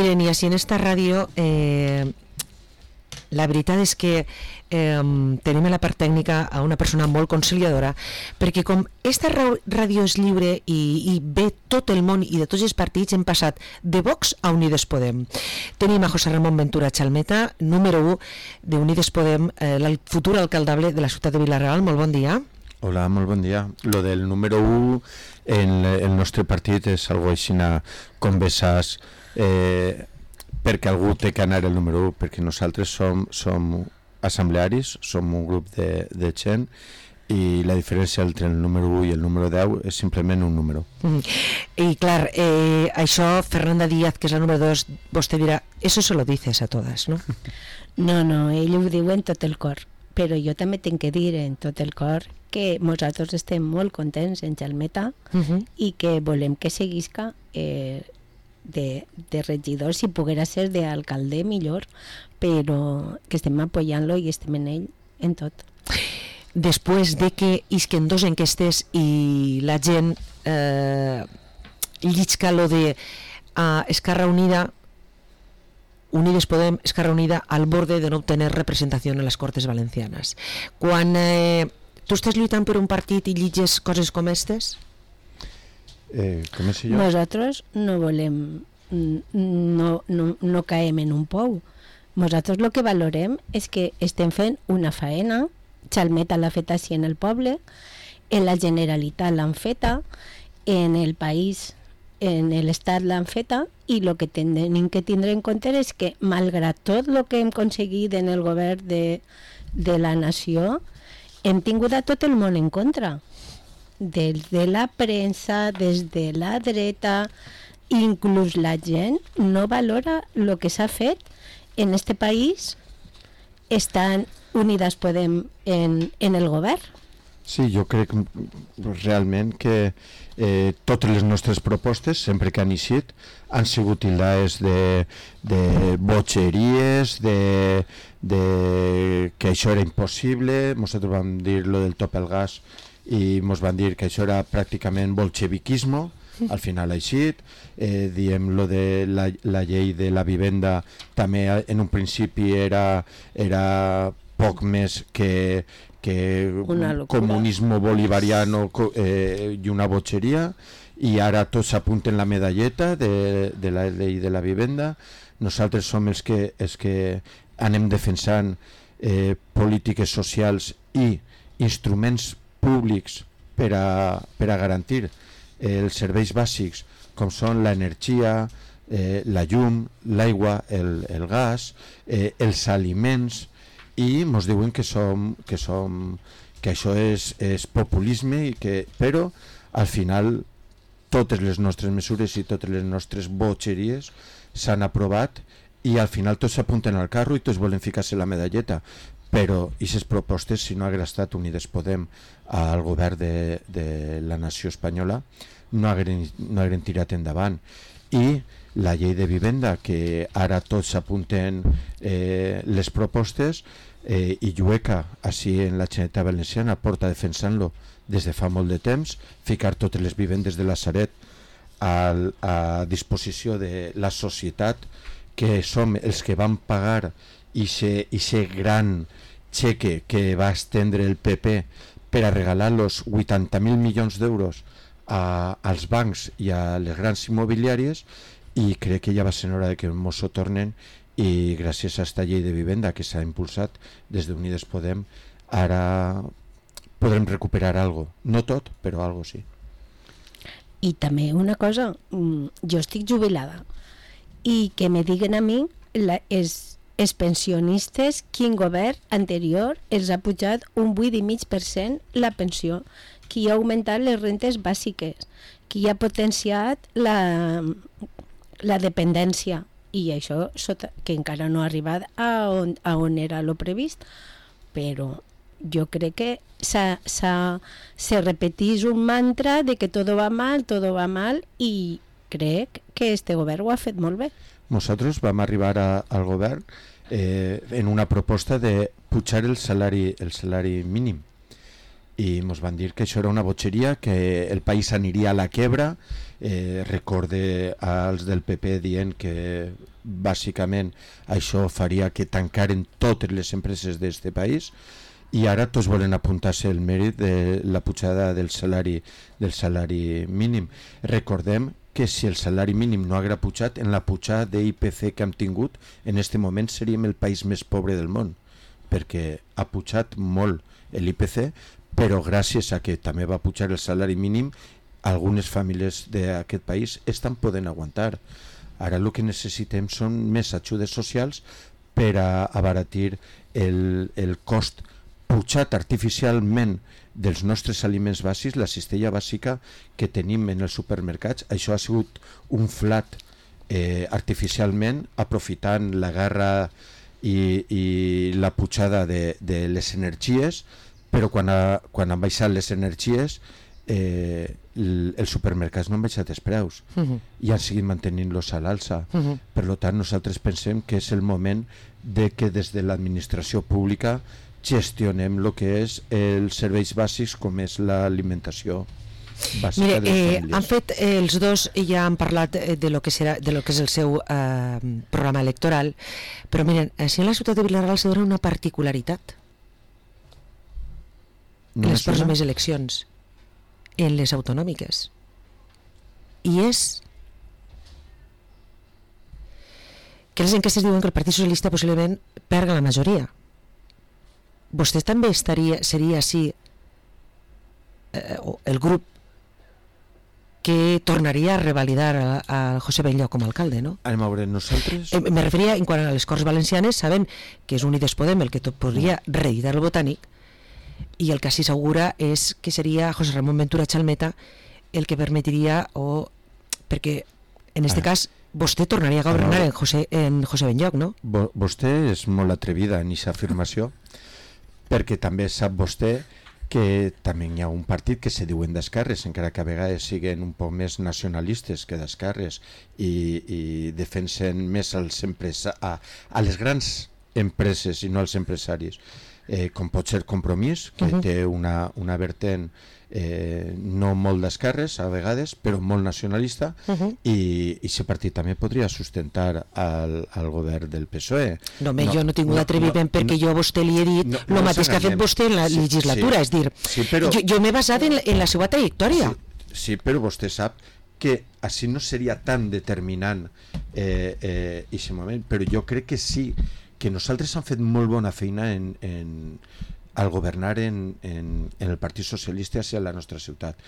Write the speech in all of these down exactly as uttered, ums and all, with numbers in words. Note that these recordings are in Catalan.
Miren, i així en esta ràdio eh, la veritat és que eh, tenim a la part tècnica a una persona molt conciliadora, perquè com esta ràdio és lliure i, i ve tot el món i de tots els partits, hem passat de Vox a Unides Podem. Tenim a José Ramon Ventura Chalmeta, número u d'Unides Podem, eh, el futur alcaldable de la ciutat de Vila-real. Molt bon dia. Hola, molt bon dia. Lo del número u en el nostre partit és algo així com besàs, eh, perquè algú té que anar el número u, perquè nosaltres som, som assemblearis, som un grup de, de gent, i la diferència entre el número u i el número deu és simplement un número. Mm. I clar, eh, això Fernanda Díaz, que és la número dos, vostè dirà, eso se lo dices a todas, no? No, no, ell ho diu en tot el cor, però jo també tinc que dir en tot el cor que nosaltres estem molt contents en Chalmeta uh-huh. i que volem que seguisca eh, de, de regidor, si poguera ser d'alcalde millor, però que estem apoyant-lo i estem en ell en tot. Després de que isquen dos enquestes i la gent eh, llisca lo de uh, Esquerra Unida, Unides Podem, Esquerra Unida al borde de no obtener representació en les Cortes Valencianes. Quan eh, tu estàs lluitant per un partit i llitges coses com aquestes? Eh, com és jo? Nosaltres no volem, no, no, no caem en un pou. Nosaltres el que valorem és que estem fent una faena. Chalmeta l'ha fet així en el poble, en la Generalitat l'han feta, en el país, en l'estat l'han feta, i el que tenim que tindre en compte és que malgrat tot el que hem aconseguit en el govern de, de la nació, hem tingut a tot el món en contra, des de la premsa, des de la dreta, inclús la gent no valora el que s'ha fet en este país. Estan Unides Podem en, en el govern. Sí, jo crec realment que eh, totes les nostres propostes, sempre que han eixit, han sigut tildades de, de botxeries, de, de que això era impossible. Nosaltres vam dir lo del top al gas i ens van dir que això era pràcticament bolxeviquisme. Al final ha eixit. Eh, diem lo de la, la llei de la vivenda, també en un principi era, era poc més que, que comunisme bolivariano eh, i una botxeria, i ara tots s'apunten la medalleta de, de la llei de la vivenda. Nosaltres som els que, els que anem defensant eh, polítiques socials i instruments públics per a, per a garantir eh, els serveis bàsics, com són l'energia, eh, la llum, l'aigua, el, el gas, eh, els aliments, i ens diuen que som, que som que això és, és populisme, i que, però al final totes les nostres mesures i totes les nostres botxeries s'han aprovat, i al final tots s'apunten al carro i tots volen ficar-se la medalleta, però aquestes propostes, si no hagués estat Unides Podem al govern de, de la nació espanyola, no hagueren, no hagueren tirat endavant. I la llei de vivenda, que ara tots s'apunten eh, les propostes, eh, i Llueca, així en la Generalitat Valenciana, porta defensant-lo des de fa molt de temps, ficar totes les vivendes de la Sareb a, a disposició de la societat, que som els que van pagar aquest gran xeque que va estendre el P P per a regalar los vuitanta mil milions d'euros a, als bancs i a les grans immobiliàries, i crec que ja va ser hora de que ens ho tornen, i gràcies a aquesta llei de vivenda que s'ha impulsat des d'Unides Podem, ara podrem recuperar algo, no tot, però algo sí. I també una cosa, jo estic jubilada, i que me diguen a mi la, els, els pensionistes quin govern anterior els ha pujat un vuit coma cinc per cent la pensió, qui ha augmentat les rentes bàsiques, qui ha potenciat la, la dependència, i això sota, que encara no ha arribat a on, a on era lo previst, però jo crec que s'ha, s'ha, se repetís un mantra de que tot va mal, tot va mal, i crec que este govern ho ha fet molt bé. Nosaltres vam arribar a, al govern eh, en una proposta de pujar el salari, el salari mínim, i ens van dir que això era una botxeria, que el país aniria a la quebra. Eh, recorde als del P P dient que bàsicament això faria que tancaren totes les empreses d'este país, i ara tots volen apuntar-se el mèrit de la pujada del salari del salari mínim. Recordem que si el salari mínim no haguera pujat, en la pujada d'I P C que hem tingut, en este moment seríem el país més pobre del món, perquè ha pujat molt l'I P C, però gràcies a que també va pujar el salari mínim, algunes famílies d'aquest país estan podent aguantar. Ara el que necessitem són més ajudes socials per a abaratir el, el cost pujat artificialment dels nostres aliments bàsics, la cistella bàsica que tenim en els supermercats. Això ha sigut un flat eh, artificialment, aprofitant la guerra i, i la pujada de, de les energies, però quan, ha, quan han baixat les energies eh, el, els supermercats no han baixat els preus uh-huh. i han seguit mantenint-los a l'alça. Uh-huh. Per tant, nosaltres pensem que és el moment de que des de l'administració pública gestionem el que és els serveis bàsics, com és l'alimentació bàsica. Mire, de les eh, famílies. han fet, eh, els dos ja han parlat eh, de lo que serà, de lo que és el seu eh, programa electoral, però miren, si en la ciutat de Vila-real se dona una particularitat en les pròximes eleccions, en les autonòmiques, i és que les enquestes diuen que el Partit Socialista possiblement perga la majoria. Vostè també estaria, seria així eh, el grup que tornaria a revalidar a, a José Benlloch com a alcalde, no? Anem a veure, nosaltres... Eh, me referia, en quant a les Corts Valencianes, sabem que és Unides Podem el que tot podria reeditar el Botànic, i el que s'hi assegura és que seria José Ramón Ventura Chalmeta el que permetria, o perquè en este ah. cas vostè tornaria a governar en José, en José Benlloch, no? Bo, vostè és molt atrevida en aquesta afirmació, perquè també sap vostè que també hi ha un partit que se diuen d'esquerres, encara que a vegades siguin un poc més nacionalistes que d'esquerres, i, i defensen més als empresa, a, a les grans empreses i no als empresaris, eh, com pot ser Compromís, que uh-huh. té una, una vertent eh, no molt d'esquerres a vegades, però molt nacionalista, uh-huh. i aquest partit també podria sustentar al, al govern del P S O E. No, no, jo no he tingut no, atreviment no, perquè no, jo a vostè li he dit el no, no mateix que ha fet vostè en la sí, legislatura, sí, és dir, sí, però, jo, jo m'he basat en, en la seva trajectòria. Sí, sí, però vostè sap que així no seria tan determinant eh, eh, aquest moment, però jo crec que sí, que nosaltres hem fet molt bona feina en, en, al governar en, en, en el Partit Socialista hacia la nostra ciutat.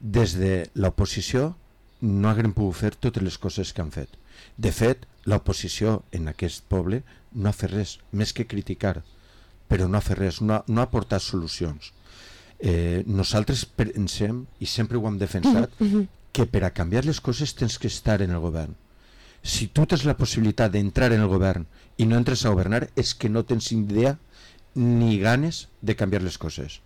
Des de l'oposició no haguem pogut fer totes les coses que han fet. De fet, l'oposició en aquest poble no ha fet res, més que criticar, però no ha fet res, no ha, no ha portat solucions. Eh, nosaltres pensem, i sempre ho hem defensat, mm-hmm. que per a canviar les coses tens que estar en el govern. Si tu tens la possibilitat d'entrar en el govern i no entres a governar, és que no tens idea ni ganes de canviar les coses.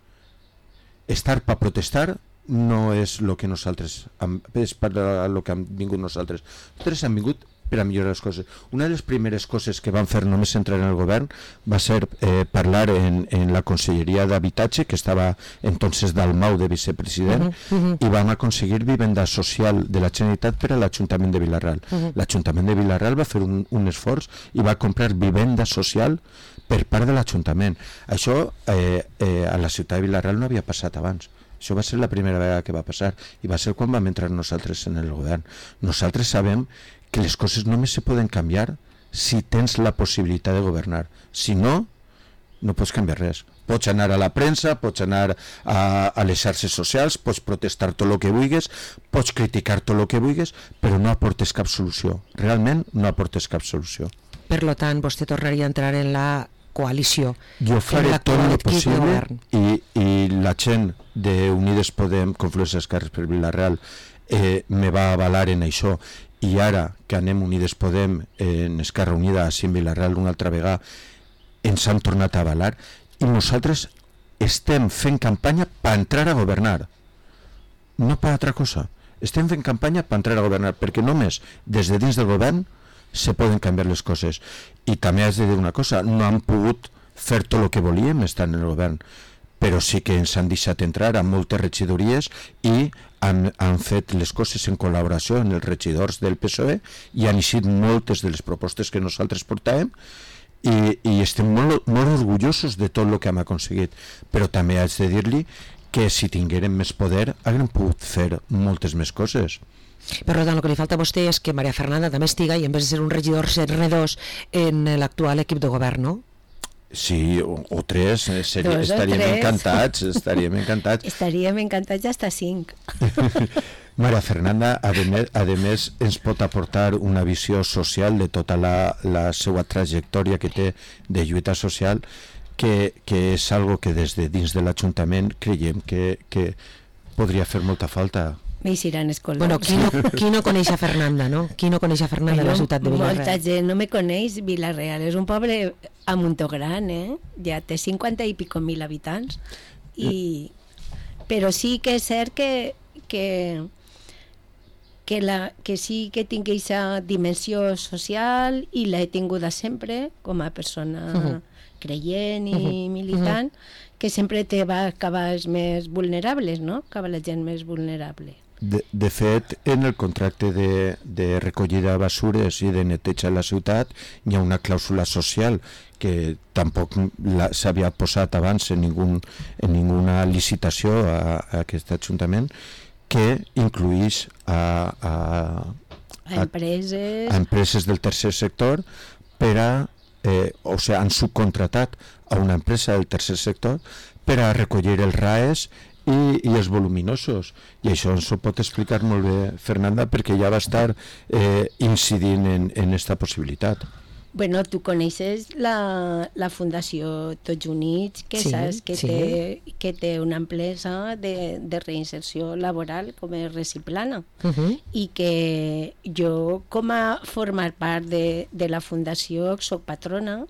Estar per protestar no és el que nosaltres hem, és per lo que hem vingut nosaltres. Nosaltres hem vingut per a millorar les coses. Una de les primeres coses que van fer només entrar en el govern va ser eh, parlar en, en la Conselleria d'Habitatge, que estava entonces Dalmau de vicepresident, uh-huh, uh-huh. i vam aconseguir vivenda social de la Generalitat per a l'Ajuntament de Vila-real. Uh-huh. L'Ajuntament de Vila-real va fer un, un esforç i va comprar vivenda social per part de l'Ajuntament. Això eh, eh, a la ciutat de Vila-real no havia passat abans. Això va ser la primera vegada que va passar, i va ser quan vam entrar nosaltres en el govern. Nosaltres sabem que les coses només se poden canviar si tens la possibilitat de governar. Si no, no pots canviar res. Pots anar a la premsa, pots anar a, a les xarxes socials, pots protestar tot el que vulguis, pots criticar tot el que vulguis, però no aportes cap solució. Realment no aportes cap solució. Per lo tant, vostè tornaria a entrar en la coalició. Jo faré tot el possible, i, i la gent d'Unides Podem, Confluència Esquerres per Vila-real, eh, me va avalar en això. I ara que anem Unides Podem en Esquerra Unida a Cim Vila-real una altra vegada, ens han tornat a avalar, i nosaltres estem fent campanya per entrar a governar, no per altra cosa. Estem fent campanya per entrar a governar, perquè només des de dins del govern se poden canviar les coses. I també has de dir una cosa, no han pogut fer tot el que volíem estar en el govern, però sí que ens han deixat entrar a moltes regidories i han, han fet les coses en col·laboració amb els regidors del P S O E i han eixit moltes de les propostes que nosaltres portàvem i, i estem molt, molt orgullosos de tot el que hem aconseguit, però també haig de dir-li que si tinguérem més poder haguem pogut fer moltes més coses. Per tant, el que li falta a vostè és que Maria Fernanda també estiga i en vez de ser un regidor ser dos en l'actual equip de govern, no? Sí, o, o tres, eh, seria, Dos o estaríem tres. encantats, estaríem encantats. Estaríem encantats hasta cinc. Maria Fernanda, a més, a més, ens pot aportar una visió social de tota la, la seva trajectòria que té de lluita social, que, que és algo que des de dins de l'Ajuntament creiem que, que podria fer molta falta. M'eixiran els colors. Bueno, qui no, qui no coneix a Fernanda, no? Qui no coneix a Fernanda de la ciutat de Molta Vila-real? gent no me coneix. Vila-real és un poble a muntó gran, eh? Ja té cinquanta i pico mil habitants. I... Però sí que és cert que, que, que, la, que sí que tinc aquesta dimensió social i l'he tinguda sempre com a persona uh-huh. creient i uh-huh. militant, uh-huh. que sempre te va acabar els més vulnerables, no? Acaba la gent més vulnerable. De, de fet, en el contracte de, de recollida de basures i de neteja a la ciutat hi ha una clàusula social que tampoc la, s'havia posat abans en, ningun, en ninguna licitació a, a aquest Ajuntament, que incluïx a, a, a, empreses... a empreses del tercer sector per a, eh, o sigui, han subcontratat a una empresa del tercer sector per a recollir els R A Es I, i els voluminosos, i això ens ho pot explicar molt bé Fernanda, perquè ja va estar eh, incidint en, en esta possibilitat. Bueno, tu coneixes la, la Fundació Tots Units, que sí, saps que, sí. té, que té una empresa de, de reinserció laboral com és Reciplana, Uh-huh. i que jo, com a formar part de, de la Fundació, soc patrona,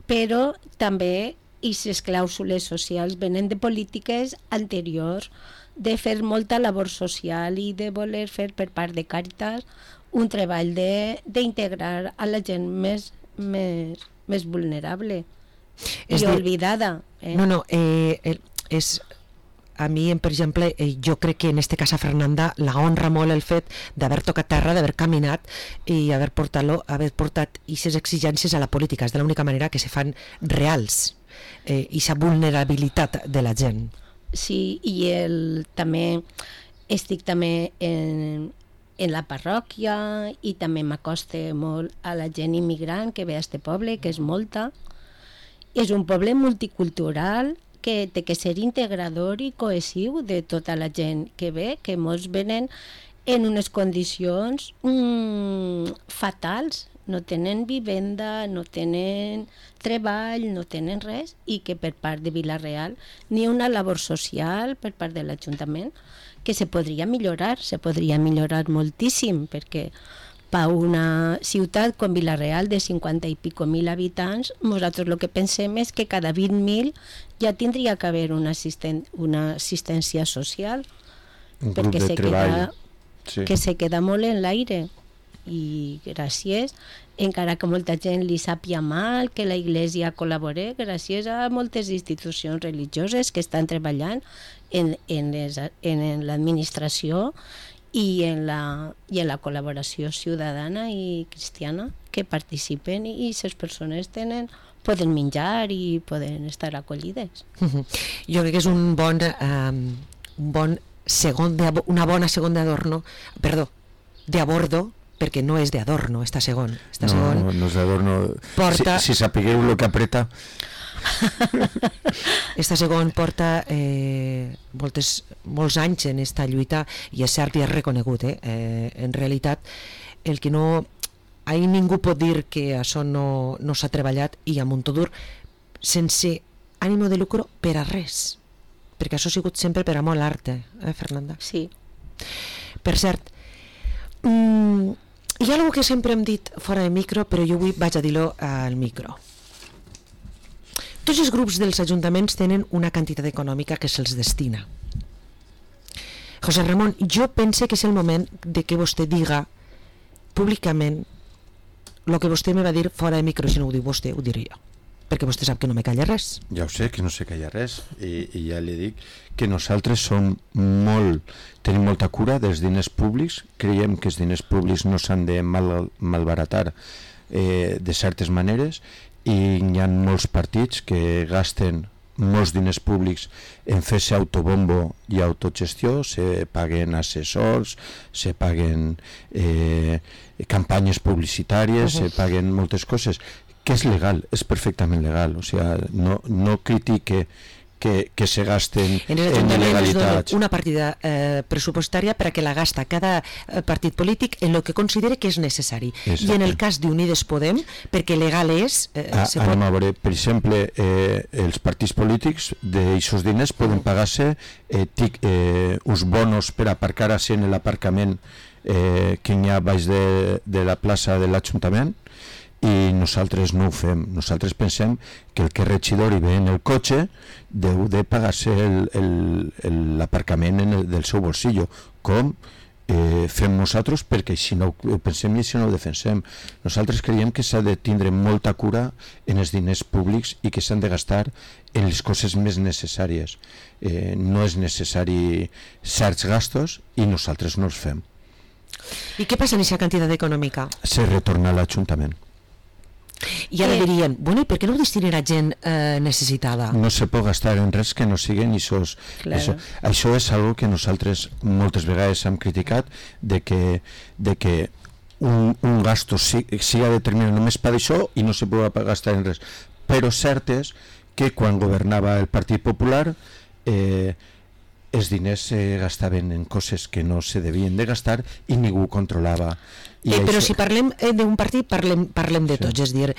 però també i les clàusules socials venen de polítiques anteriors, de fer molta labor social i de voler fer per part de Càritas un treball d'integrar a la gent més, més, més vulnerable és i de... oblidada. Eh? No, no, eh, el, és... A mi, per exemple, eh, jo crec que en este cas a Fernanda la honra molt el fet d'haver tocat terra, d'haver caminat i haver portat-lo, haver portat aquestes exigències a la política. És de l'única manera que se fan reals, eh, aquesta vulnerabilitat de la gent. Sí, i el, també estic també en, en la parròquia i també m'acoste molt a la gent immigrant que ve a este poble, que és molta. És un poble multicultural que té que ser integrador i cohesiu de tota la gent que ve, que molts venen en unes condicions mm, fatals, no tenen vivenda, no tenen treball, no tenen res, i que per part de Vila-real ni una labor social per part de l'Ajuntament que se podria millorar, se podria millorar moltíssim, perquè per una ciutat com Vila-real de cinquanta i pico mil habitants, nosaltres el que pensem és que cada vint mil ja tindria que haver una, assisten una assistència social, Un perquè grup de se treball. queda, Sí. que se queda molt en l'aire. I gràcies, encara que molta gent li sàpia mal, que la Iglesia col·labore, gràcies a moltes institucions religioses que estan treballant en, en, les, en, en l'administració i en la, i en la col·laboració ciutadana i cristiana, que participen i les persones tenen, poden menjar i poden estar acollides. Uh-huh. Jo crec que és un bon, um, un bon segon de, una bona segona d'adorno, perdó, de abordo, perquè no és d'adorno, esta segon. Esta no, segon no, no és d'adorno. porta... Si, si sapigueu el que apreta... Esta segon porta eh, moltes, molts anys en esta lluita i és cert i és reconegut. Eh? Eh, en realitat, el que no... Ahir ningú pot dir que això no, no s'ha treballat i a Montodur sense ànimo de lucro per a res, perquè això ha sigut sempre per amor a l'art, eh, Fernanda? Sí. Per cert, mm, hi ha alguna que sempre hem dit fora de micro, però jo avui vaig a dir-lo al micro. Tots els grups dels ajuntaments tenen una quantitat econòmica que se'ls destina. José Ramon, jo pense que és el moment de que vostè diga públicament el que vostè me va dir fora de micro. Si no ho diu vostè, ho diré jo. perquè vostè sap que no me calla res. Ja ho sé, que no sé que hi ha res, i, i ja li dic que nosaltres som molt, tenim molta cura dels diners públics, creiem que els diners públics no s'han de mal, malbaratar eh, de certes maneres, i hi ha molts partits que gasten molts diners públics en fer-se autobombo i autogestió, se paguen assessors, se paguen eh, campanyes publicitàries, uh-huh. se paguen moltes coses, que és legal, és perfectament legal, o sigui, no, no critique que, que se gasten en, en il·legalitats. Una partida eh, pressupostària per a que la gasta cada eh, partit polític en el que considere que és necessari. Exacte. I en el cas d'Unides Podem, perquè legal és... Eh, ah, se pot... a veure, per exemple, eh, els partits polítics d'aixòs diners poden pagar-se eh, tic, eh, uns bonos per aparcar-se en l'aparcament eh, que hi ha baix de, de la plaça de l'Ajuntament, i nosaltres no ho fem. Nosaltres pensem que el que és regidor i ve en el cotxe deu de pagar-se l'aparcament del seu bolsillo, com eh, fem nosaltres, perquè així no ho pensem i així no ho defensem. Nosaltres creiem que s'ha de tindre molta cura en els diners públics i que s'han de gastar en les coses més necessàries. Eh, no és necessari certs gastos i nosaltres no els fem. I què passa amb aquesta quantitat econòmica? Se retorna a l'Ajuntament. I ara dirien, bueno, i per què no ho destinen a gent eh, necessitada? No se pot gastar en res que no siguin això. Claro. Això, això és algo que nosaltres moltes vegades hem criticat, de que, de que un, un gasto siga determinat només per això i no se pot gastar en res. Però cert és que quan governava el Partit Popular eh, els diners se gastaven en coses que no se devien de gastar i ningú controlava. I eh, però això... si parlem eh, d'un partit, parlem, parlem de sí. tots, és dir,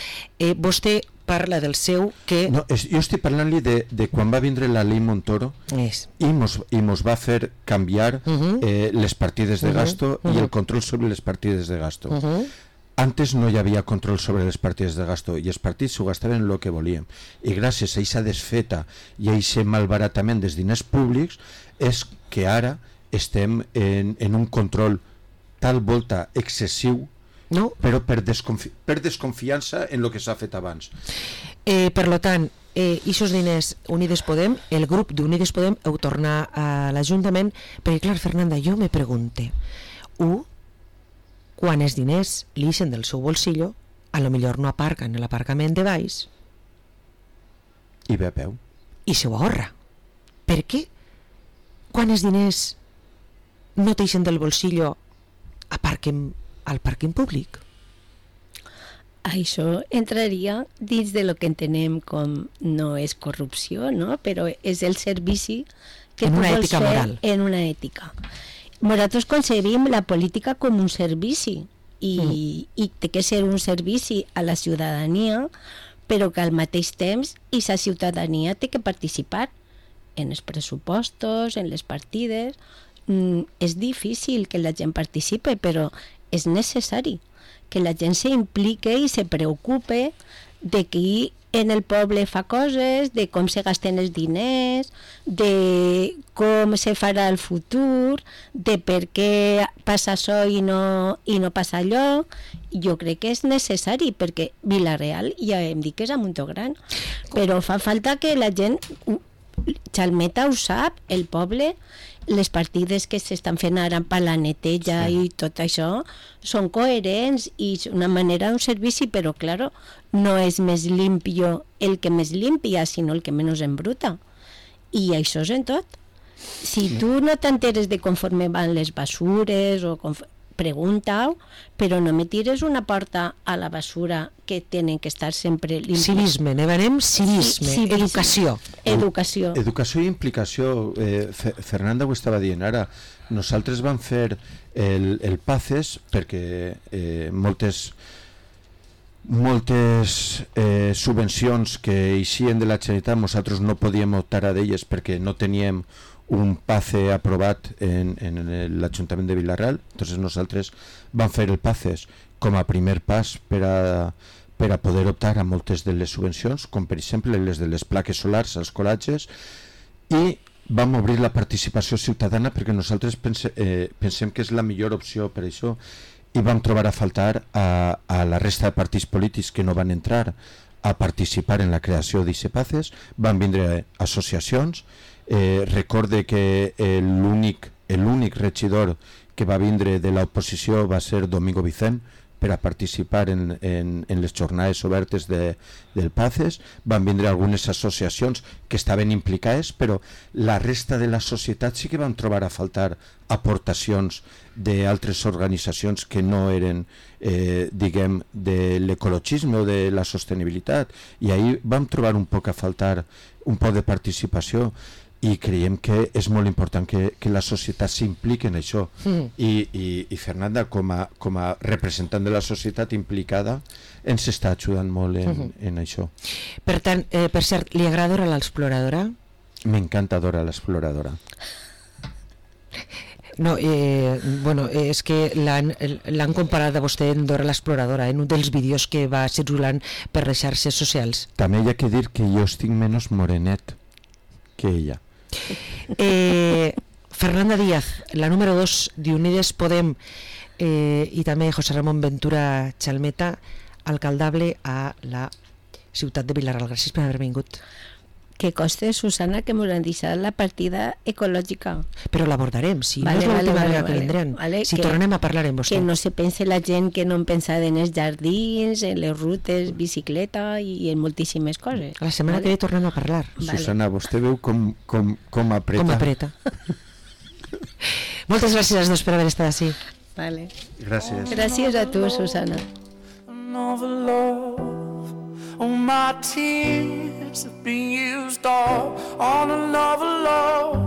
eh, vostè parla del seu que... No, és, jo estic parlant-li de, de quan va vindre la llei Montoro és. i mos, i mos va fer canviar uh-huh. eh, les partides de uh-huh. gasto uh-huh. i el control sobre les partides de gasto. Uh-huh. Antes no hi havia control sobre les partides de gasto i els partits s'ho gastaven el que volien, i gràcies a aquesta desfeta i a aquest malbaratament dels diners públics és que ara estem en, en un control tal volta excessiu, no? Però per, desconfi per desconfiança en el que s'ha fet abans. Eh, per lo tant, eh, aquests diners Unides Podem, el grup d'Unides Podem heu tornat a l'Ajuntament, perquè clar, Fernanda, jo me pregunte, u, quan els diners li ixen del seu bolsillo, a lo millor no aparquen en l'aparcament de baix i ve a peu i se ho ahorra. Per què quan els diners no t'eixen del bolsillo aparquen al pàrquing públic? Això entraria dins de lo que entenem com no és corrupció, no? Però és el servici que en tu una vols ètica fer moral. En una ètica. Nosaltres concebim la política com un servici i, mm. i té que ser un servici a la ciutadania, però que al mateix temps aquesta ciutadania té que participar en els pressupostos, en les partides. Mm, és difícil que la gent participe, però és necessari que la gent s'implique i se preocupe de qui en el poble fa coses, de com se gasten els diners, de com se farà el futur, de per què passa això i no, i no passa allò. Jo crec que és necessari, perquè Vila-real ja hem dit que és a Montogran, però fa falta que la gent, Chalmeta ho sap, el poble, les partides que s'estan fent ara per la neteja sí. i tot això són coherents i és una manera d'un servici, però claro, no és més limpio el que més limpia, sinó el que menys embruta. I això és en tot. Si tu no t'enteres de conforme van les basures o pregunta-ho, però no me tires una porta a la basura que tenen que estar sempre limpies. Civisme, ne venem civisme, sí, civisme. Educació. Educació. Educació i implicació. Eh, Fernanda ho estava dient ara. Nosaltres vam fer el, el PACES perquè eh, moltes moltes eh, subvencions que eixien de la Generalitat nosaltres no podíem optar a d'elles perquè no teníem un PACE aprovat en, en l'Ajuntament de Vila-real. Entonces nosaltres vam fer el PACES com a primer pas per a, per a poder optar a moltes de les subvencions, com per exemple les de les plaques solars als colatges, i vam obrir la participació ciutadana perquè nosaltres pense, eh, pensem que és la millor opció per això, i vam trobar a faltar a, a la resta de partits polítics que no van entrar a participar en la creació d'Ixepaces, van vindre associacions, eh, recorde que eh, l'únic l'únic regidor que va vindre de l'oposició va ser Domingo Vicent per a participar en, en, en les jornades obertes de, del Paces. Van vindre algunes associacions que estaven implicades, però la resta de la societat sí que van trobar a faltar aportacions d'altres organitzacions que no eren, eh, diguem, de l'ecologisme o de la sostenibilitat, i ahir vam trobar un poc a faltar un poc de participació, i creiem que és molt important que, que la societat s'impliqui en això. Mm. I, i, i Fernanda, com a, com a representant de la societat implicada, ens està ajudant molt en, mm-hmm. en això. Per tant, eh, per cert, li agrada Dora l'Exploradora? M'encanta Dora l'Exploradora. No, eh, bueno, és que l'han, l'han comparat a vostè en Dora l'Exploradora, en un dels vídeos que va circulant per les xarxes socials. També hi ha que dir que jo estic menys morenet que ella. Eh, Fernanda Díaz, la número dos d'Unides Podem, eh, i també José Ramón Ventura Chalmeta, alcaldable a la ciutat de Vilaral. Gràcies per haver vingut. Que coste, Susana, que m'ho han deixat la partida ecològica. Però l'abordarem, si vale, no és l'última vale, vegada vale, que vindrem. Vale, si que, tornem a parlar amb vostè. Que no se pense la gent que no en pensava en els jardins, en les rutes, bicicleta i en moltíssimes coses. La setmana vale? que ve tornem a parlar. Vale. Susana, vostè veu com, com, com apreta. Com apreta. Moltes gràcies als dos per haver estat així. Vale. Gràcies. Gràcies a tu, Susana. All my tears have been used all on another love.